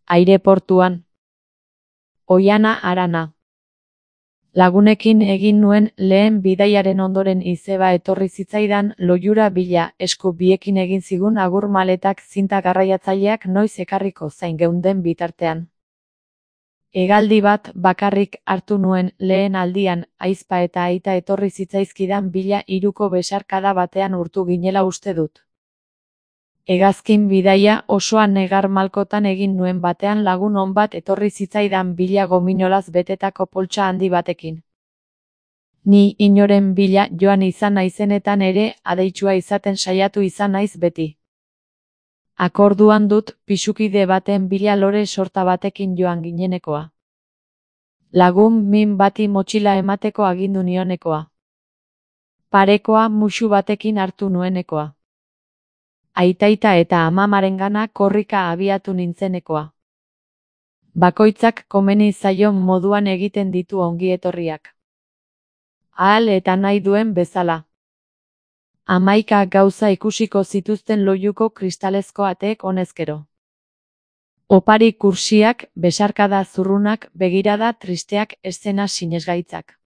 Aireportuan. Oihana harana. Lagunekin egin nuen lehen bidaiaren ondoren izeba etorri zitzaidan loiura bila, esku biekin egin zigun agur maletak zinta garraiatzaileak noiz ekarriko zain geunden bitartean. Hegaldi bat bakarrik hartu nuen lehen aldian, ahizpa eta aita etorri zitzaizkidan bila hiruko besarkada batean urtu ginela uste dut. Hegazkin bidaia osoa negar malkotan egin nuen batean lagun on bat etorri zitzaidan bila gominolaz betetako poltsa handi batekin. Ni inoren bila joan izan naizenetan ere adeitsua izaten saiatu izan naiz beti. Akorduan dut pisukide baten bila lore sorta batekin joan ginenekoa. Lagun min bati motxila emateko agindu nionekoa. Parekoa musu batekin hartu nuenekoa. Aitaita eta amamarengana korrika abiatu nintzenekoa. Bakoitzak komeni zaion moduan egiten ditu ongietorriak. Ahal eta nahi duen bezala. 11 gauza ikusiko zituzten loiuko kristalezko ateek honezkero. Opari kursiak, besarkada zurrunak, begirada tristeak, eszena sinesgaitzak.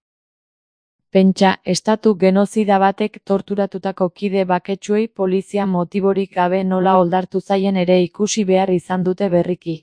Pentsa, estatu genozida batek torturatutako kide baketsuei polizia motiborik gabe nola oldartu zaien ere ikusi behar izan dute berriki.